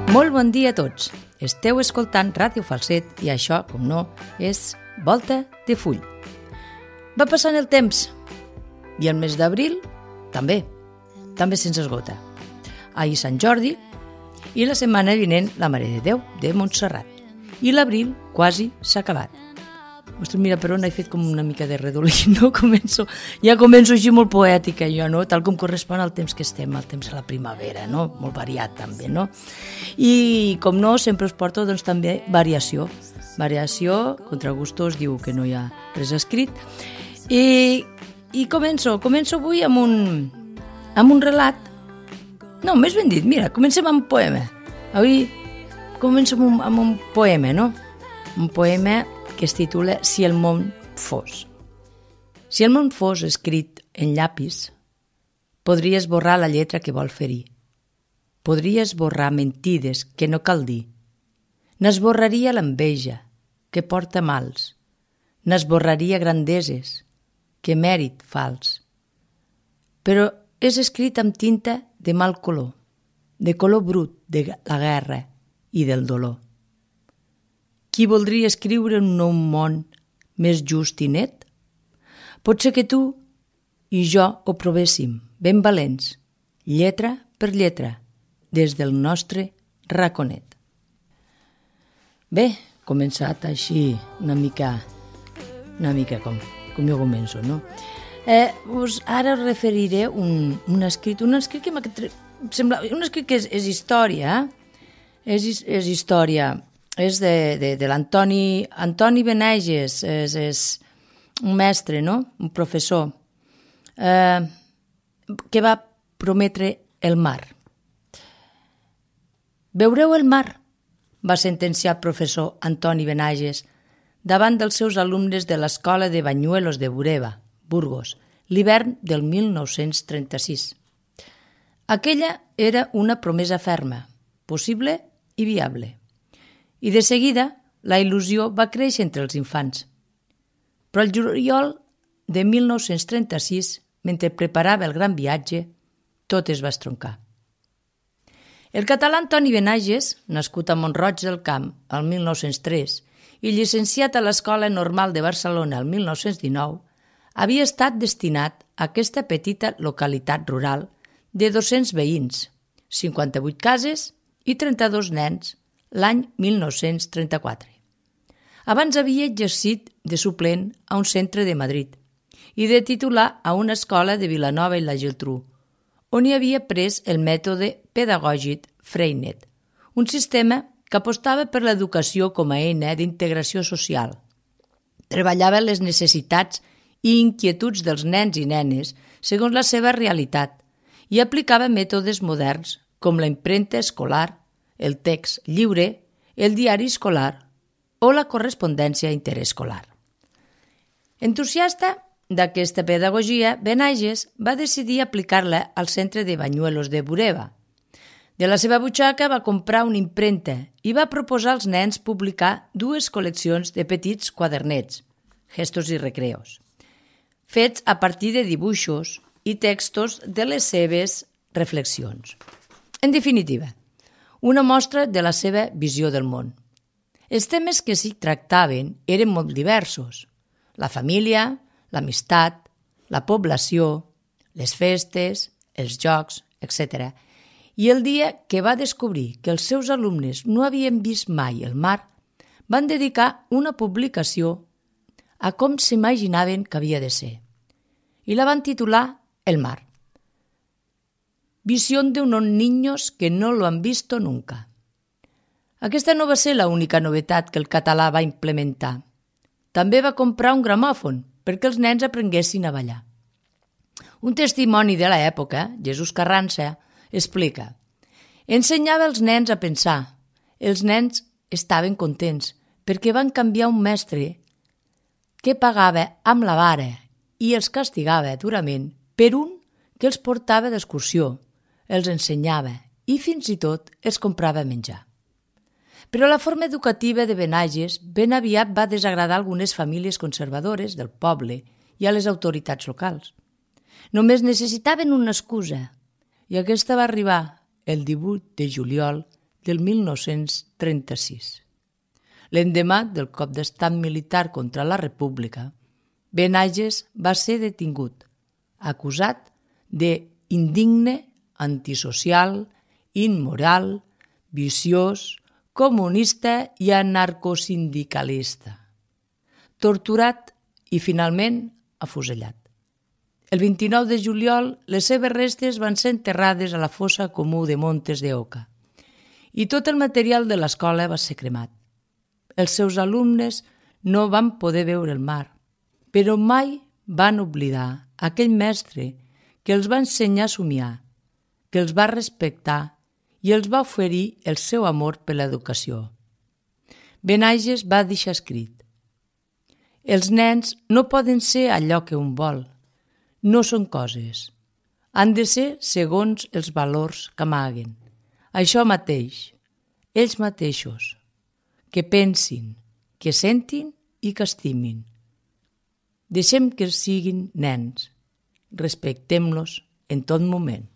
Molt bon dia a tots. Esteu escoltant Ràdio Falset i això, com no, és Volta de Full. Va passant el temps i el mes d'abril també se'ns esgota. Ahir Sant Jordi i la setmana vinent la Mare de Déu de Montserrat. I l'abril quasi s'ha acabat. Ostres, mira, per on he fet com una mica de redolí, no? Ja començo així molt poètica, jo, no? Tal com correspon al temps que estem, al temps de la primavera, no? Molt variat, també, no? I, com no, sempre us porto, doncs, també variació. Variació, contra gustos, diu que no hi ha res escrit. I començo avui amb un relat. No, més ben dit, mira, comencem amb un poema. Avui començo amb un poema, no? Un poema que es titula Si el món fos. Si el món fos escrit en llapis, podria esborrar la lletra que vol ferir. Podria esborrar mentides que no cal dir. N'esborraria l'enveja, que porta mals. N'esborraria grandeses, que mèrit fals. Però és escrit amb tinta de mal color, de color brut de la guerra i del dolor. Qui voldria escriure un nou món més just i net? Potser que tu i jo ho provéssim, ben valents, lletra per lletra, des del nostre raconet. Bé, començat així una mica com jo començo, no? Ara us referiré un escrit que m'ha sembla... Un escrit que és història, és història... És de l'Antoni Benages, és un mestre, no? Un professor, que va prometre el mar. Veureu el mar, va sentenciar el professor Antoni Benages davant dels seus alumnes de l'escola de Banyuelos de Bureba, Burgos, l'hivern del 1936. Aquella era una promesa ferma, possible i viable. I de seguida la il·lusió va créixer entre els infants. Però el juliol de 1936, mentre preparava el gran viatge, tot es va estroncar. El català Antoni Benages, nascut a Mont-roig del Camp el 1903 i llicenciat a l'Escola Normal de Barcelona el 1919, havia estat destinat a aquesta petita localitat rural de 200 veïns, 58 cases i 32 nens, l'any 1934. Abans havia exercit de suplent a un centre de Madrid i de titular a una escola de Vilanova i la Geltrú, on hi havia pres el mètode pedagògic Freinet, un sistema que apostava per l'educació com a eina d'integració social. Treballava les necessitats i inquietuds dels nens i nenes segons la seva realitat i aplicava mètodes moderns com la impremta escolar, el text lliure, el diari escolar o la correspondència interescolar. Entusiasta d'aquesta pedagogia, Benages va decidir aplicar-la al centre de Banyuelos de Bureba. De la seva butxaca va comprar una impremta i va proposar als nens publicar 2 col·leccions de petits quadernets, gestos i recreos, fets a partir de dibuixos i textos de les seves reflexions. En definitiva, una mostra de la seva visió del món. Els temes que s'hi tractaven eren molt diversos. La família, l'amistat, la població, les festes, els jocs, etc. I el dia que va descobrir que els seus alumnes no havien vist mai el mar, van dedicar una publicació a com s'imaginaven que havia de ser. I la van titular El mar. Visión de unos niños que no lo han visto nunca. Aquesta no va ser l'única novetat que el català va implementar. També va comprar un gramòfon perquè els nens aprenguessin a ballar. Un testimoni de l'època, Jesús Carranza, explica: ensenyava els nens a pensar. Els nens estaven contents perquè van canviar un mestre que pagava amb la vara i els castigava durament per un que els portava d'excursió, els ensenyava i fins i tot els comprava menjar. Però la forma educativa de Benages ben aviat va desagradar algunes famílies conservadores del poble i a les autoritats locals. Només necessitaven una excusa i aquesta va arribar el 18 de juliol del 1936. L'endemà del cop d'estat militar contra la República, Benages va ser detingut, acusat d'indigne, antisocial, immoral, viciós, comunista i anarcosindicalista, torturat i finalment afusellat. El 29 de juliol, les seves restes van ser enterrades a la fossa comú de Montes de Oca i tot el material de l'escola va ser cremat. Els seus alumnes no van poder veure el mar, però mai van oblidar aquell mestre que els va ensenyar a somiar, que els va respectar i els va oferir el seu amor per l'educació. Benages va deixar escrit: els nens no poden ser allò que un vol, no són coses, han de ser segons els valors que amaguen. Això mateix, ells mateixos, que pensin, que sentin i que estimin. Deixem que siguin nens, respectem-los en tot moment.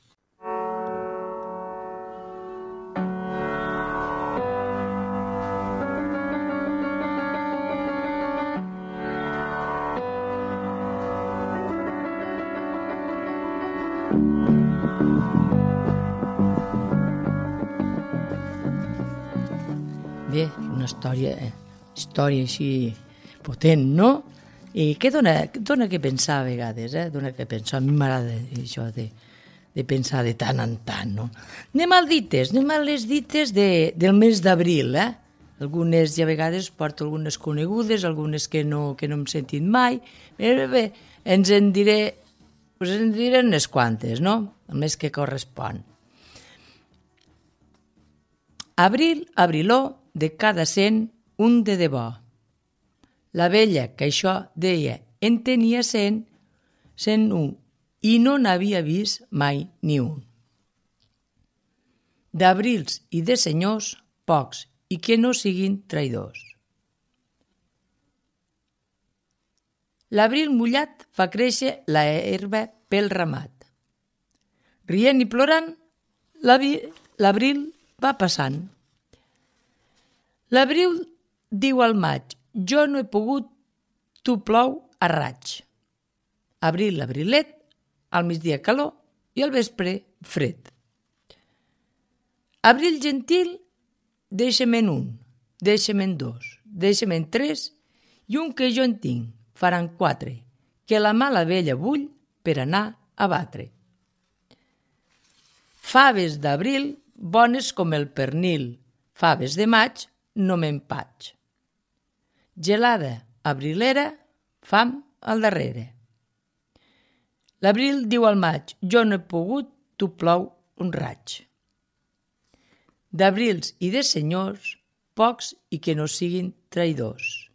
Bé, una història així potent, no? I què dona que pensar a vegades, dona que pensar. A mi m'agrada això de pensar de tant en tant, no? Anem a les dites del mes d'abril, Algunes, ja a vegades, porto algunes conegudes, algunes que no hem sentit mai. Bé, ens en diré unes quantes, no? El mes que correspon. Abril, abriló, de cada 100, un de debò. La vella que això deia en tenia 101, i no n'havia vist mai ni un. D'abrils i de senyors, pocs, i que no siguin traïdors. L'abril mullat fa créixer la herba pel ramat. Rient i plorant, l'abril va passant. L'abril diu al maig: jo no he pogut, tu plou a raig. Abril, abrilet, al migdia calor i al vespre fred. Abril gentil, deixa'm en un, deixa'm en dos, deixa'm en tres, i un que jo en tinc, faran 4, que la mala vella bull per anar a batre. Faves d'abril, bones com el pernil, faves de maig, no m'empatx. Gelada abrilera, fam al darrere. L'abril diu al maig: jo no he pogut, tu plou un raig. D'abrils i de senyors, pocs i que no siguin traïdors.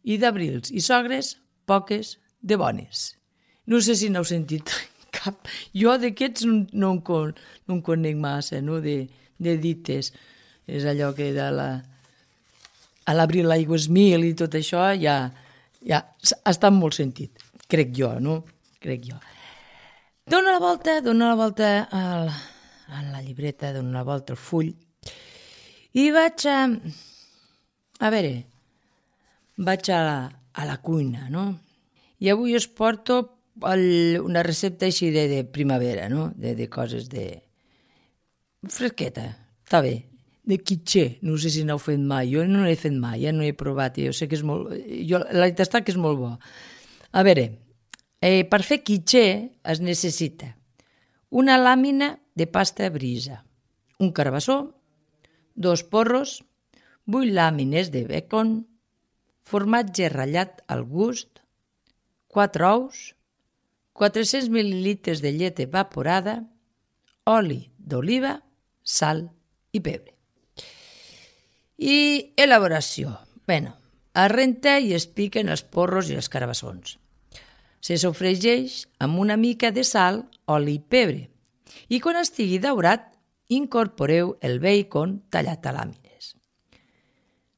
I d'abrils i sogres, poques de bones. No sé si n'heu sentit cap. Jo d'aquests no en conec massa, no? De dites. És allò que a l'abril l'aigua és mil i tot això ja està molt sentit, crec jo, no? Crec jo. Dóna la volta a la llibreta, dóna la volta al full i vaig a la cuina, no? I avui us porto una recepta així de primavera, no? De coses de fresqueta, està bé. De quitxer, no sé si n'heu fet mai, jo no l'he fet mai, no he provat, jo sé que és molt... la veritat està que és molt bo. A veure, per fer quitxer es necessita una làmina de pasta brisa, un carbassó, 2 porros, 8 làmines de bacon, formatge ratllat al gust, 4 ous, 400 mil·lilitres de llet evaporada, oli d'oliva, sal i pebre. I elaboració. Es renta i es piquen els porros i els carabassons. Se sofregeix amb una mica de sal, oli i pebre. I quan estigui daurat, incorporeu el bacon tallat a làmines.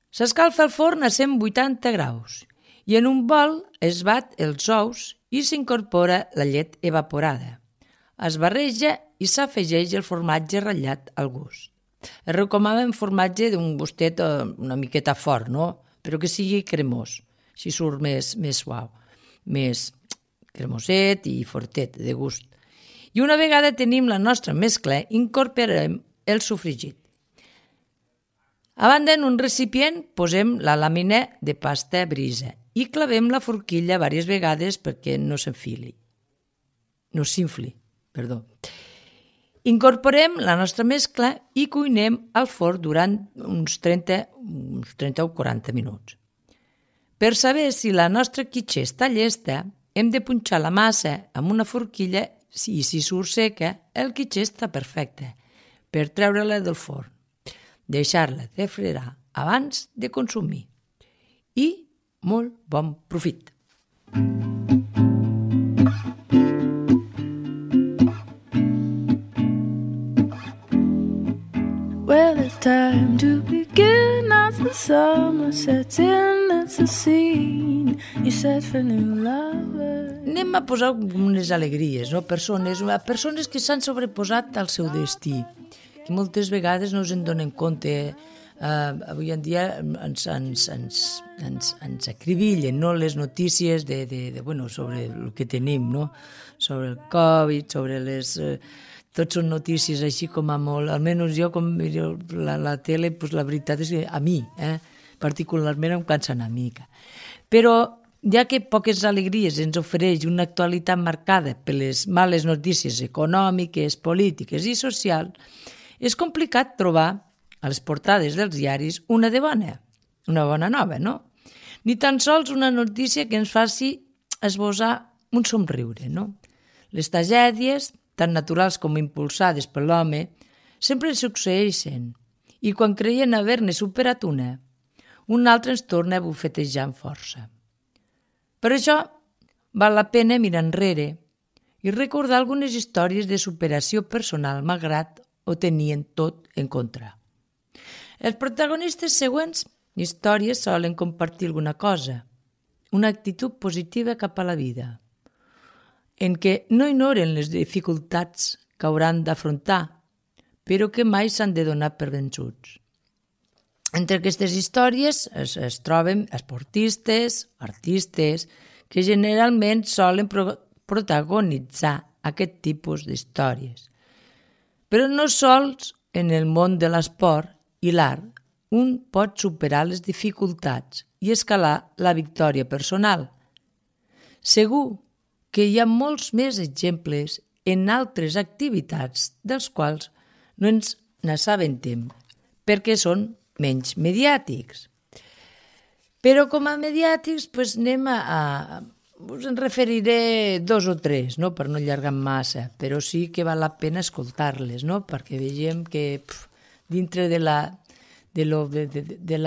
S'escalfa el forn a 180 graus i en un bol es bat els ous i s'incorpora la llet evaporada. Es barreja i s'afegeix el formatge ratllat al gust. Es recomana un formatge d'un gustet una miqueta fort, no? Però que sigui cremós, així surt més suau, més cremoset i fortet, de gust. I una vegada tenim la nostra mescla, incorporarem el sofregit. A banda, en un recipient, posem la làmina de pasta brisa i clavem la forquilla diverses vegades perquè no s'infli. Incorporem la nostra mescla i cuinem al forn durant uns 30 o 40 minuts. Per saber si la nostra quitxa està llesta, hem de punxar la massa amb una forquilla i si surt seca, el quitxa està perfecte per treure-la del forn. Deixar-la refredar abans de consumir. I molt bon profit! Well, it's time to begin as the summer sets in. It's a scene you set for new lovers. Anem a posar unes alegries, no? Persones que s'han sobreposat al seu destí, que moltes vegades no en donen compte. Avui en dia ens acribillen, no? Les notícies sobre el que tenim, no? Sobre el Covid, sobre les... Tots són notícies així com a molt... Almenys jo, com miro la tele, pues la veritat és que a mi, particularment em cansa una mica. Però ja que poques alegries ens ofereix una actualitat marcada per les males notícies econòmiques, polítiques i socials, és complicat trobar a les portades dels diaris una bona nova, no? Ni tan sols una notícia que ens faci esbozar un somriure, no? Les tragèdies, tan naturals com impulsades per l'home, sempre succeeixen i quan creien haver-ne superat un altre ens torna a bufetejar amb força. Per això val la pena mirar enrere i recordar algunes històries de superació personal malgrat ho tenien tot en contra. Els protagonistes següents històries solen compartir alguna cosa, una actitud positiva cap a la vida, en què no ignoren les dificultats que hauran d'afrontar, però que mai s'han de donar per vençuts. Entre aquestes històries es troben esportistes, artistes, que generalment solen protagonitzar aquest tipus d'històries. Però no sols en el món de l'esport i l'art un pot superar les dificultats i escalar la victòria personal. Segur que hi ha molts més exemples en altres activitats dels quals no ens n'assabentem perquè són menys mediàtics. Però com a mediàtics us en referiré 2 o 3, no? Per no allargar massa, però sí que val la pena escoltar-les, no? Perquè vegem que dintre de la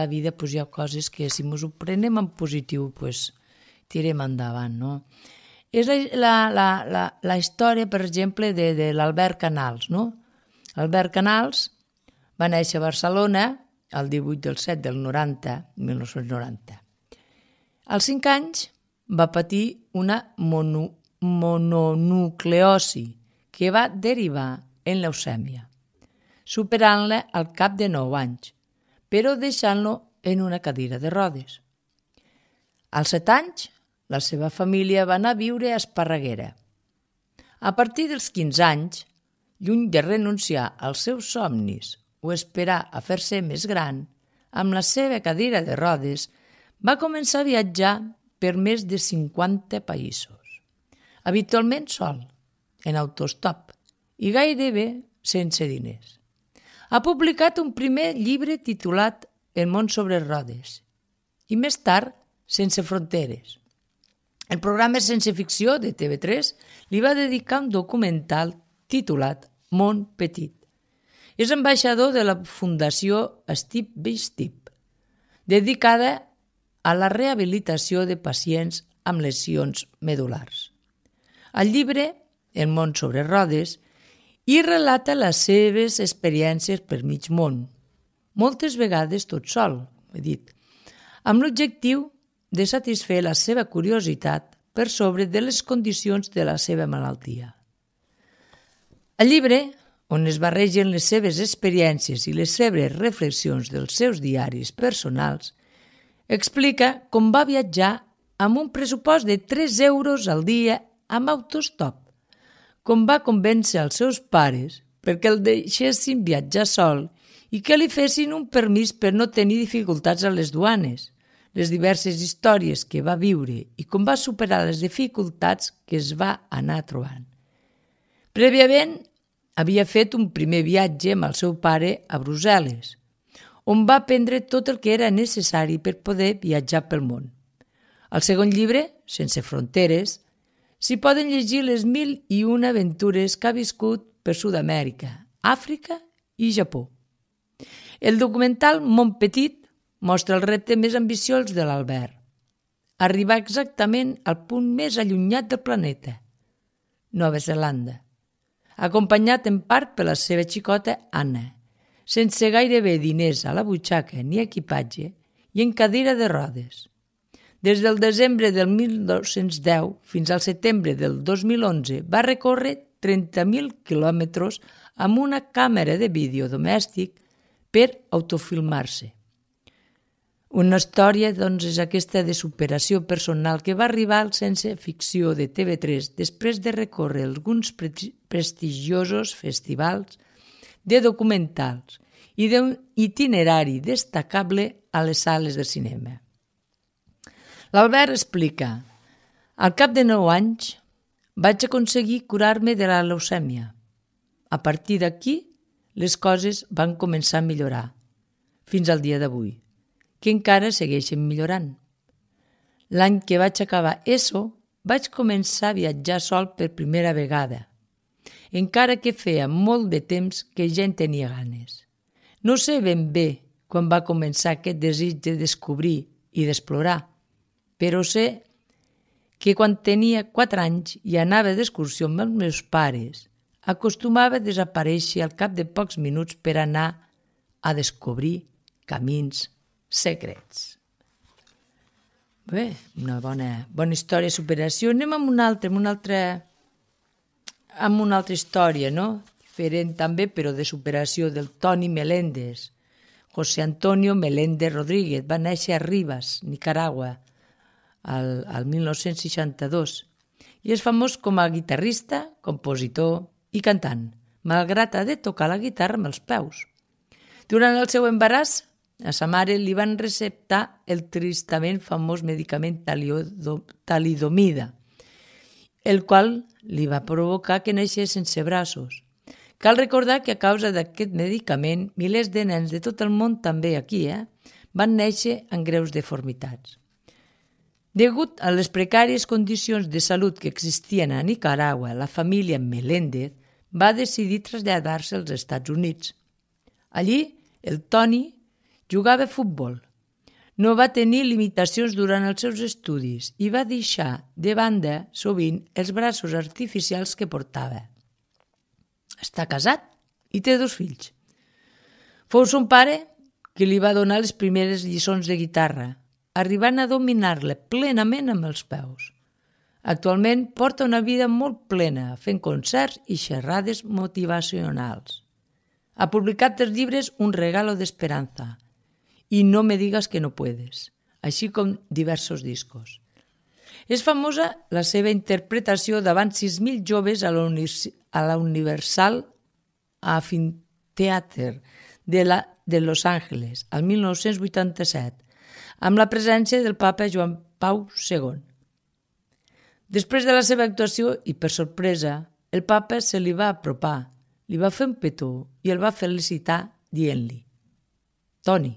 vida hi ha coses que si ens ho prenem en positiu tirem endavant, no? És la història, per exemple, de l'Albert Canals, no? Albert Canals va néixer a Barcelona el 1990. Als 5 anys va patir una mononucleosi que va derivar en leucèmia, superant-la al cap de 9 anys, però deixant-lo en una cadira de rodes. Als 7 anys, la seva família va anar a viure a Esparreguera. A partir dels 15 anys, lluny de renunciar als seus somnis o esperar a fer-se més gran, amb la seva cadira de rodes, va començar a viatjar per més de 50 països, habitualment sol, en autostop i gairebé sense diners. Ha publicat un primer llibre titulat El món sobre rodes i més tard Sense fronteres. El programa Ciència Ficció de TV3 li va dedicar un documental titulat Món Petit. És ambaixador de la Fundació Steve by Steve, dedicada a la rehabilitació de pacients amb lesions medul·lars. Al llibre, El món sobre rodes, hi relata les seves experiències per mig món, moltes vegades tot sol, amb l'objectiu de satisfer la seva curiositat per sobre de les condicions de la seva malaltia. Al llibre on es barregen les seves experiències i les seves reflexions dels seus diaris personals, explica com va viatjar amb un pressupost de 3 euros al dia amb autostop, com va convèncer els seus pares perquè el deixessin viatjar sol i que li fessin un permís per no tenir dificultats a les duanes, les diverses històries que va viure i com va superar les dificultats que es va anar trobant. Prèviament, havia fet un primer viatge amb el seu pare a Brussel·les, on va aprendre tot el que era necessari per poder viatjar pel món. Al segon llibre, Sense fronteres, s'hi poden llegir les 1001 aventures que ha viscut per Sud-amèrica, Àfrica i Japó. El documental Món Petit mostra el repte més ambiciós de l'Albert, arribar exactament al punt més allunyat del planeta, Nova Zelanda, acompanyat en part per la seva xicota Anna, sense gairebé diners a la butxaca ni equipatge i en cadira de rodes. Des del desembre del 1910 fins al setembre del 2011 va recórrer 30.000 quilòmetres amb una càmera de vídeo domèstic per autofilmar-se. Una història, doncs, és aquesta de superació personal que va arribar al Sense Ficció de TV3 després de recórrer alguns prestigiosos festivals de documentals i d'un itinerari destacable a les sales de cinema. L'Albert explica: al cap de 9 anys vaig aconseguir curar-me de la leucèmia. A partir d'aquí, les coses van començar a millorar, fins al dia d'avui, que encara segueixen millorant. L'any que vaig acabar ESO, vaig començar a viatjar sol per primera vegada, encara que feia molt de temps que ja en tenia ganes. No sé ben bé quan va començar aquest desig de descobrir i d'explorar, però sé que quan tenia 4 anys i anava d'excursió amb els meus pares, acostumava a desaparèixer al cap de pocs minuts per anar a descobrir camins secrets. Bé, una bona història de superació. Anem amb una altra història, no? Diferent també, però de superació, del Toni Meléndez. José Antonio Meléndez Rodríguez va néixer a Rivas, Nicaragua, al 1962, i és famós com a guitarrista, compositor i cantant, malgrat ha de tocar la guitarra amb els peus. Durant el seu embaràs, a sa mare li van receptar el tristament famós medicament talidomida, el qual li va provocar que naixés sense braços. Cal recordar que a causa d'aquest medicament, milers de nens de tot el món, també aquí, van néixer amb greus deformitats. Degut a les precàries condicions de salut que existien a Nicaragua, la família Meléndez va decidir traslladar-se als Estats Units. Allí, el Toni jugava a futbol. No va tenir limitacions durant els seus estudis i va deixar de banda sovint els braços artificials que portava. Està casat i té 2 fills. Fou son pare qui li va donar les primeres lliçons de guitarra, arribant a dominar-la plenament amb els peus. Actualment porta una vida molt plena, fent concerts i xerrades motivacionals. Ha publicat els llibres Un regalo de esperanza i No me digas que no puedes, així com diversos discos. És famosa la seva interpretació davant 6.000 joves a la Universal Amphitheater de Los Angeles, al 1987, amb la presència del papa Joan Pau II. Després de la seva actuació, i per sorpresa, el papa se li va apropar, li va fer un petó i el va felicitar dient-li: Toni,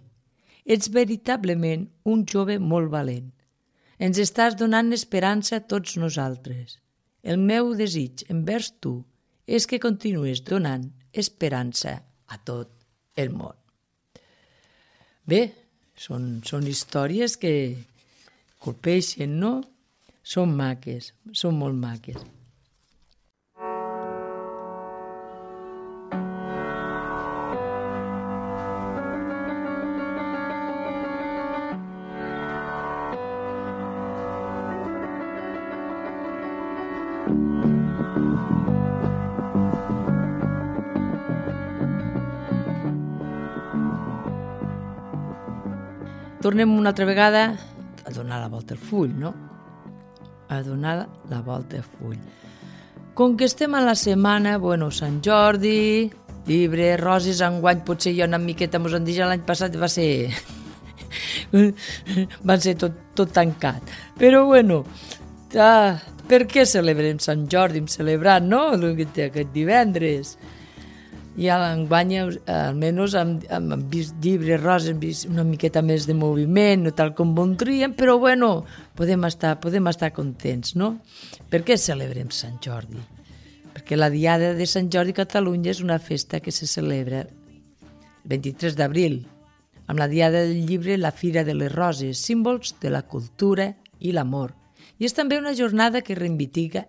ets veritablement un jove molt valent. Ens estàs donant esperança a tots nosaltres. El meu desig envers tu és que continuïs donant esperança a tot el món. Bé, són històries que colpeixen, no? Són maques, són molt maques. tornem una altra vegada a donar la volta al full, no? A donar la volta al full. Com que estem a la setmana, Sant Jordi, llibre, roses, enguany potser jo una miqueta mos han dit, l'any passat va ser tot tancat. Però per què celebrem Sant Jordi? Hem celebrat, no?, aquest divendres. I a l'enguany, almenys, hem vist llibres, roses, hem vist una miqueta més de moviment, no tal com voldríem, però podem estar contents, no? Per què celebrem Sant Jordi? Perquè la Diada de Sant Jordi a Catalunya és una festa que se celebra el 23 d'abril, amb la Diada del Llibre, la Fira de les Roses, símbols de la cultura i l'amor. I és també una jornada que reivindica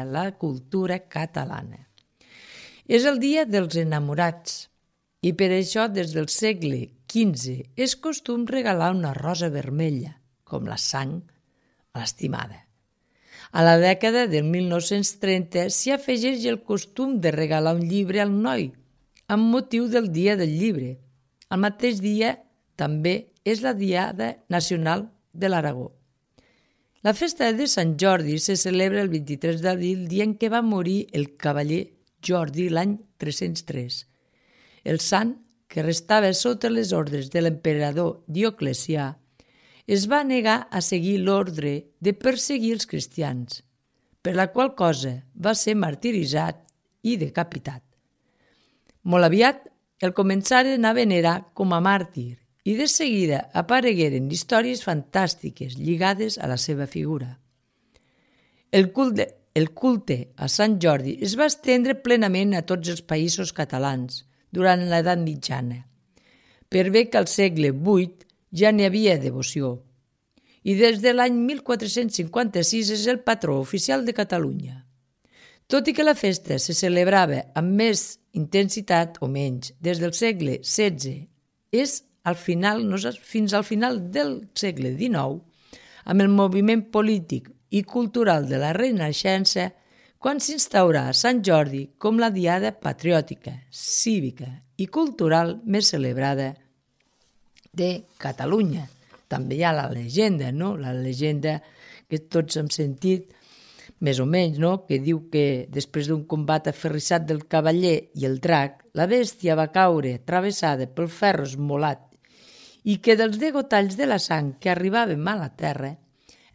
la cultura catalana. És el dia dels enamorats i per això des del segle XV és costum regalar una rosa vermella, com la sang a l'estimada. A la dècada del 1930 s'hi afegeix el costum de regalar un llibre al noi, amb motiu del Dia del Llibre. El mateix dia també és la Diada Nacional de l'Aragó. La festa de Sant Jordi se celebra el 23 d'abril, dia en què va morir el cavaller Jordi l'any 303. El sant, que restava sota les ordres de l'emperador Dioclecià, es va negar a seguir l'ordre de perseguir els cristians, per la qual cosa va ser martiritzat i decapitat. Molt aviat el començaren a venerar com a màrtir i de seguida aparegueren històries fantàstiques lligades a la seva figura. El culte a Sant Jordi es va estendre plenament a tots els països catalans durant l'edat mitjana, per bé que al segle VIII ja n'hi havia devoció, i des de l'any 1456 és el patró oficial de Catalunya. Tot i que la festa se celebrava amb més intensitat o menys des del segle XVI, és fins al final del segle XIX, amb el moviment polític i cultural de la Renaixença, quan s'instaurà Sant Jordi com la diada patriòtica, cívica i cultural més celebrada de Catalunya. També hi ha la llegenda, no? La llegenda que tots hem sentit, més o menys, no? Que diu que després d'un combat aferrissat del cavaller i el drac, la bèstia va caure travessada pel ferro esmolat i que dels degotalls de la sang que arribaven a la terra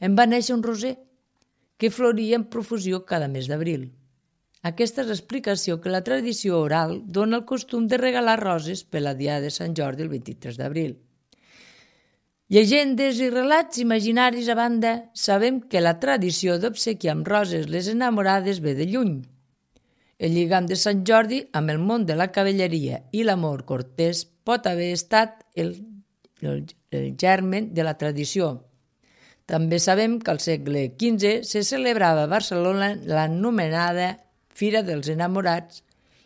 en va néixer un roser que floria en profusió cada mes d'abril. Aquesta és l'explicació que la tradició oral dona el costum de regalar roses per la Diada de Sant Jordi el 23 d'abril. Llegendes i relats imaginaris a banda, sabem que la tradició d'obsequiar amb roses les enamorades ve de lluny. El lligam de Sant Jordi amb el món de la cavalleria i l'amor cortès pot haver estat el germen de la tradició. També sabem que al segle XV se celebrava a Barcelona l'anomenada Fira dels Enamorats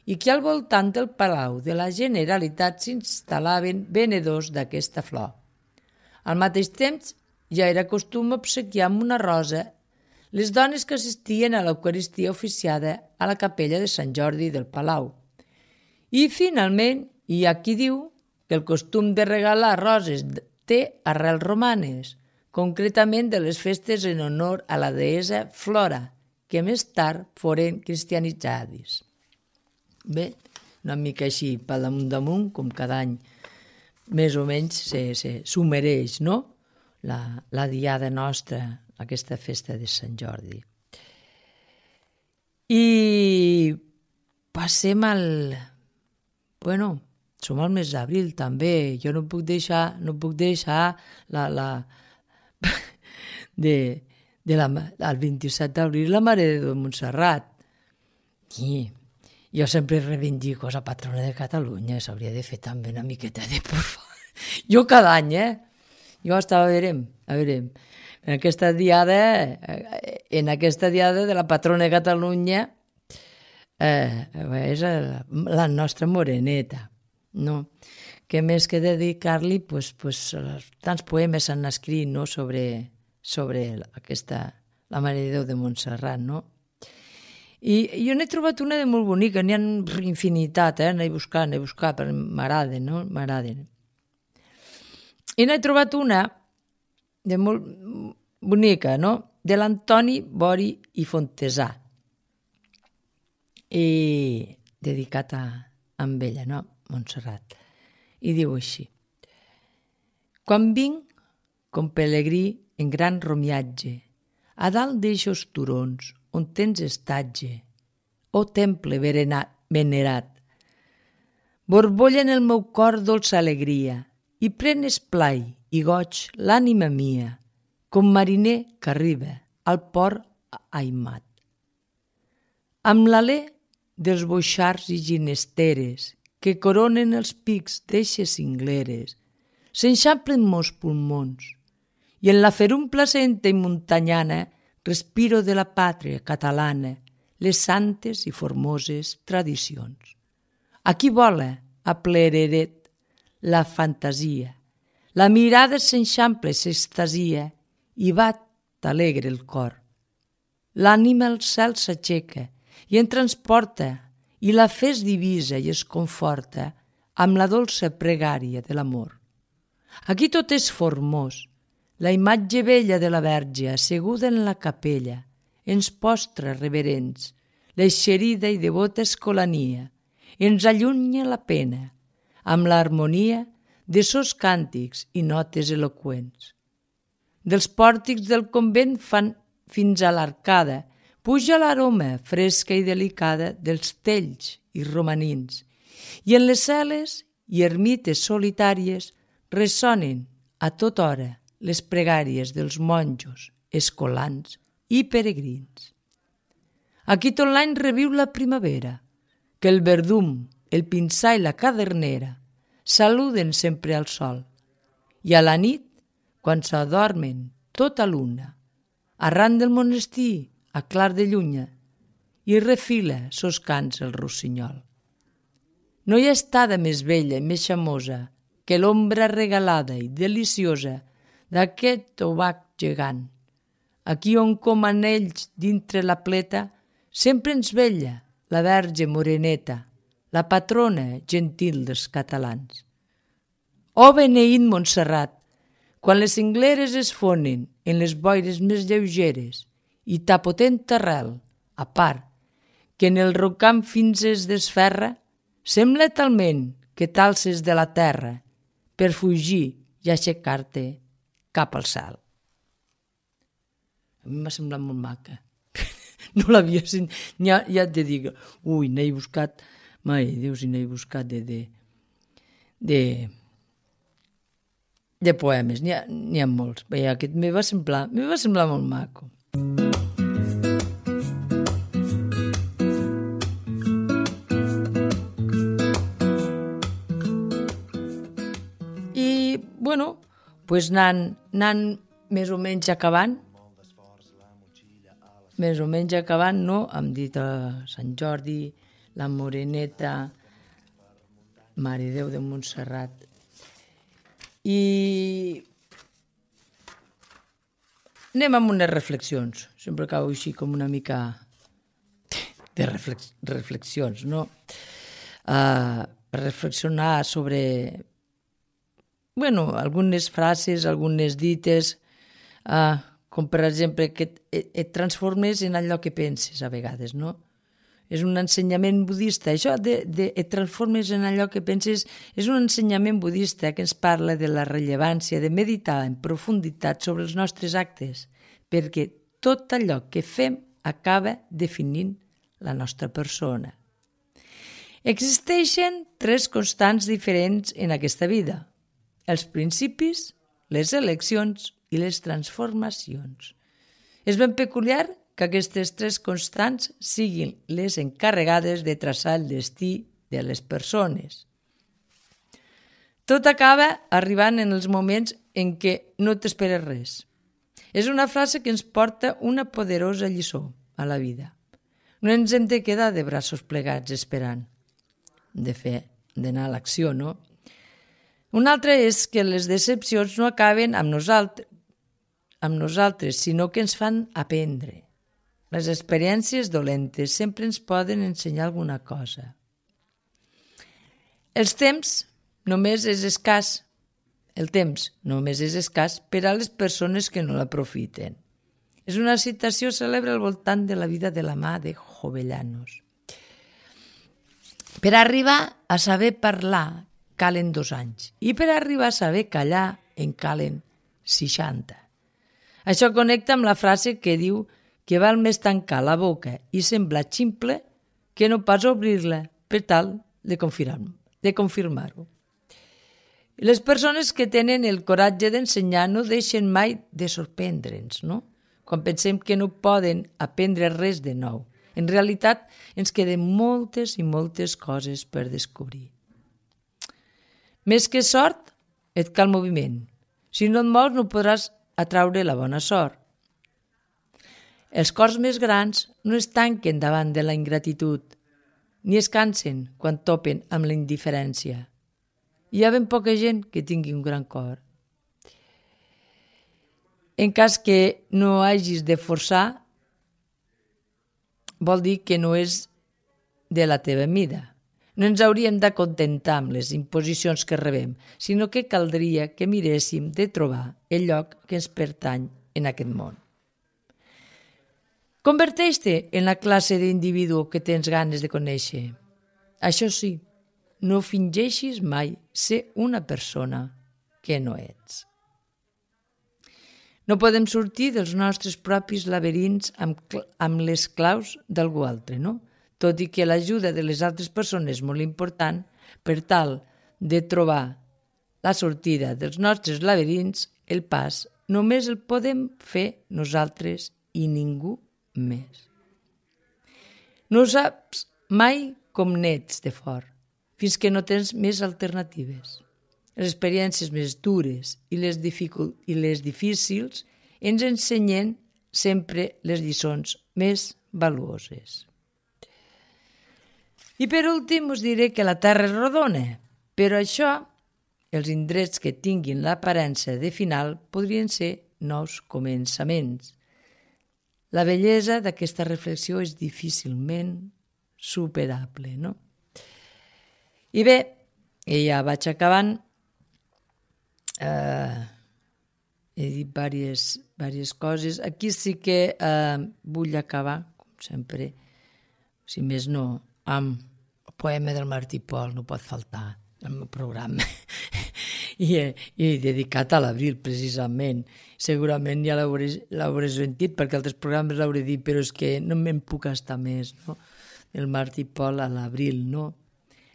i que al voltant del Palau de la Generalitat s'instal·laven venedors d'aquesta flor. Al mateix temps, ja era costum obsequiar amb una rosa les dones que assistien a l'Eucaristia oficiada a la capella de Sant Jordi del Palau. I, finalment, hi ha qui diu que el costum de regalar roses té arrels romanes, concretament de les festes en honor a la deessa Flora, que més tard foren cristianitzades. Bé, una mica així, pel damunt, com cada any, més o menys s'ho mereix, no? La diada nostra, aquesta festa de Sant Jordi. I passem al... som al mes d'abril també, jo no puc deixar el 27 d'abril la Mare de Déu de Montserrat. I jo sempre reivindico la patrona de Catalunya, s'hauria de fer també una miqueta de porfa. Jo cada any, jo estava, a veure, en aquesta diada de la patrona de Catalunya és la nostra moreneta, no? Que més que dedicar-li, tants poemes s'han escrit, no?, sobre la Mare de Déu de Montserrat, no? I jo n'he trobat una de molt bonica, n'hi ha infinitat, n'he buscat, però m'agraden, no? M'agraden. I n'he trobat una de molt bonica, no? De l'Antoni Bori i Fontesà, i dedicat a ella, no? Montserrat. I diu així: quan vinc com pelegrí en gran romiatge, a dalt d'eixos turons on tens estatge, o temple venerat, borbolla en el meu cor dolça alegria, i pren esplai i goig l'ànima mia, com mariner que arriba al port aimat. Amb l'alè dels boixars i ginesteres que coronen els pics d'eixes cingleres, s'enxamplen mos pulmons, i en la ferum placenta i muntanyana respiro de la pàtria catalana les santes i formoses tradicions. Aquí vola a plereret la fantasia, la mirada s'enxample, s'extasia i bat alegre el cor. L'ànima al cel s'aixeca i en transporta, i la fe es divisa i es conforta amb la dolça pregària de l'amor. Aquí tot és formós. La imatge bella de la Verge asseguda en la capella ens postra reverents, l'eixerida i devota escolania, ens allunya la pena, amb l'harmonia de sos càntics i notes eloqüents. Dels pòrtics del convent fan fins a l'arcada, puja l'aroma fresca i delicada dels tells i romanins, i en les cel·les i ermites solitàries ressonen a tota hora les pregàries dels monjos, escolans i peregrins. Aquí tot l'any reviu la primavera, que el verdum, el pinsà i la cadernera saluden sempre al sol, i a la nit, quan s'adormen tota l'una, arran del monestir a clar de llunya, i refila sos cants el rossinyol. No hi ha estada més bella i més xamosa que l'ombra regalada i deliciosa d'aquest obac gegant. Aquí on com anells dintre la pleta sempre ens vella la Verge moreneta, la patrona gentil dels catalans. Oh beneït Montserrat, quan les cingleres es fonen en les boires més lleugeres i ta potent arrel, a part, que en el rocam fins es desferra, sembla talment que t'alces de la terra per fugir i aixecar-te cap al cel. A mi m'ha semblat molt maca. No l'havia sentit. Ja et dic, n'he buscat, mai, Déu, si n'he buscat de poemes. N'hi ha molts. Bé, aquest me va semblar molt maco. I, bueno, pues anant més o menys acabant, no? Hem dit a Sant Jordi, la Moreneta, Mare Déu de Montserrat. I anem amb unes reflexions. Sempre acabo així com una mica de reflexions, no? Reflexionar sobre, algunes frases, algunes dites, com per exemple que et transformes en allò que penses a vegades, no? És un ensenyament budista. Això de et transformes en allò que penses és un ensenyament budista que ens parla de la rellevància de meditar en profunditat sobre els nostres actes, perquè tot allò que fem acaba definint la nostra persona. Existeixen 3 constants diferents en aquesta vida: els principis, les eleccions i les transformacions. És ben peculiar que aquestes 3 constants siguin les encarregades de traçar el destí de les persones. Tot acaba arribant en els moments en què no t'esperes res. És una frase que ens porta una poderosa lliçó a la vida. No ens hem de quedar de braços plegats esperant. De fer, d'anar a l'acció, no? Una altra és que les decepcions no acaben amb nosaltres, sinó que ens fan aprendre. Les experiències dolentes sempre ens poden ensenyar alguna cosa. Els temps només és escàs, el temps només és escàs per a les persones que no l'aprofiten. És una citació cèlebre al voltant de la vida de la mà de Jovellanos. Per arribar a saber parlar calen 2 anys i per arribar a saber callar en calen 60. Això connecta amb la frase que diu que val més tancar la boca i semblar ximple que no pas obrir-la per tal de confirmar-ho. Les persones que tenen el coratge d'ensenyar no deixen mai de sorprendre'ns, no? Quan pensem que no poden aprendre res de nou. En realitat, ens queden moltes i moltes coses per descobrir. Més que sort, et cal moviment. Si no et mous, no podràs atraure la bona sort. Els cors més grans no es tanquen davant de la ingratitud, ni es cansen quan topen amb la indiferència. Hi ha ben poca gent que tingui un gran cor. En cas que no hagis de forçar, vol dir que no és de la teva mida. No ens hauríem d'acontentar amb les imposicions que rebem, sinó que caldria que miréssim de trobar el lloc que ens pertany en aquest món. Converteix-te en la classe d'individu que tens ganes de conèixer. Això sí, no fingeixis mai ser una persona que no ets. No podem sortir dels nostres propis laberints amb les claus d'algú altre, no? Tot i que l'ajuda de les altres persones és molt important, per tal de trobar la sortida dels nostres laberints, el pas només el podem fer nosaltres i ningú més. No saps mai com n'ets de fort, fins que no tens més alternatives. Les experiències més dures i les difícils ens ensenyen sempre les lliçons més valuoses. I per últim us diré que la Terra és rodona, però això, els indrets que tinguin l'aparença de final podrien ser nous començaments. La bellesa d'aquesta reflexió és difícilment superable, no? I bé, ja vaig acabant. He dit diverses coses. Aquí sí que vull acabar, com sempre, si més no, amb el poema del Martí Pol, no pot faltar el meu programa. I dedicat a l'abril, precisament. Segurament ja l'hauré sentit, perquè altres programes l'hauré dit, però és que no me'n puc estar més, no? El Martí Pol a l'abril, no?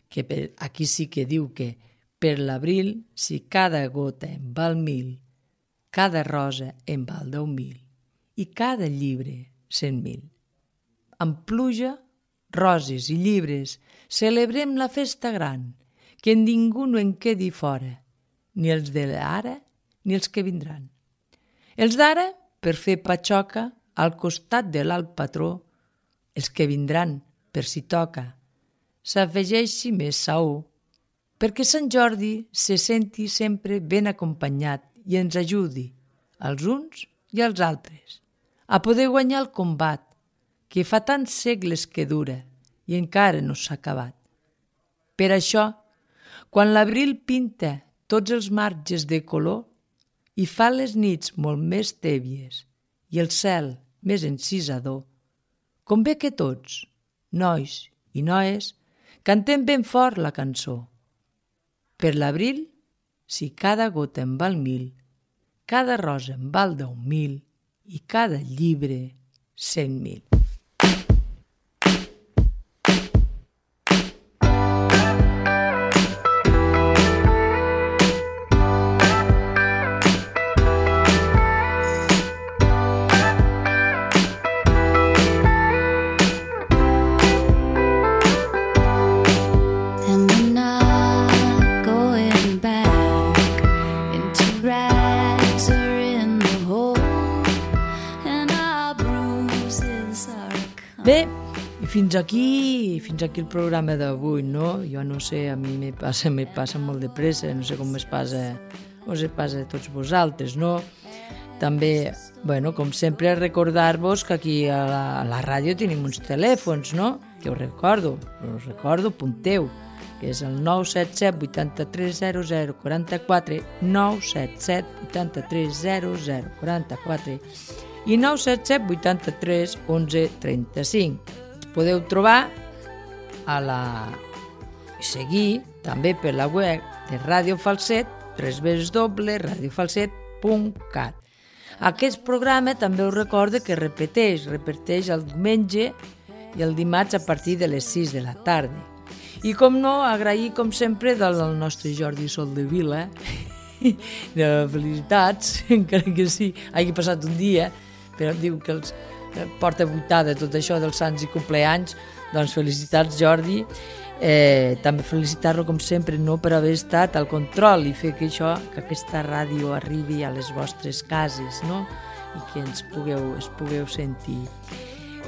Que aquí sí que diu que per l'abril, si cada gota en val 1000, cada rosa en val 10.000 i cada llibre 100.000. Amb pluja, roses i llibres, celebrem la festa gran, que ningú no en quedi fora, ni els d'ara ni els que vindran. Els d'ara, per fer patxoca, al costat de l'alt patró, els que vindran, per si toca, s'afegeixi més saó, perquè Sant Jordi se senti sempre ben acompanyat i ens ajudi, als uns i als altres, a poder guanyar el combat, que fa tants segles que dura i encara no s'ha acabat. Per això, quan l'abril pinta tots els marges de color i fa les nits molt més tèbies i el cel més encisador, convé que tots, nois i noies, cantem ben fort la cançó. Per l'abril, si cada gota en val 1000, cada rosa en val 10.000 i cada llibre 100.000. Bé, i fins aquí el programa d'avui, no? Jo no sé, a mi me passa molt de pressa, no sé com us passa a tots vosaltres, no? També, bueno, com sempre, recordar-vos que aquí a la ràdio tenim uns telèfons, no? Que us recordo, apunteu, que és el 977 83 00 44, 977 83 00 44 i 977 83 11 35. Podeu trobar seguir també per la web de Ràdio Falset, www.radiofalset.cat. Aquest programa també us recorda que repeteix el diumenge i el dimarts a partir de les 6 de la tarda. I com no, agrair com sempre del nostre Jordi Soldevila, de felicitats, encara que sí, hagi passat un dia, però diu que els porta vuitada tot això dels sants i compleanys, doncs felicitats Jordi. També felicitar-lo com sempre per haver estat al control i fer que aquesta ràdio arribi a les vostres cases, no? I que es pugueu sentir.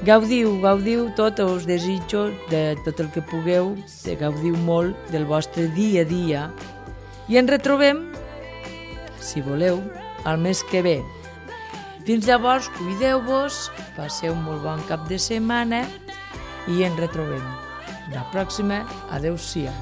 Gaudiu tot, us desitjo de tot el que pugueu, gaudiu molt del vostre dia a dia i ens retrobem, si voleu, el mes que ve. Fins llavors, cuideu-vos, passeu un molt bon cap de setmana i ens retrobem. La pròxima, adeu-siau.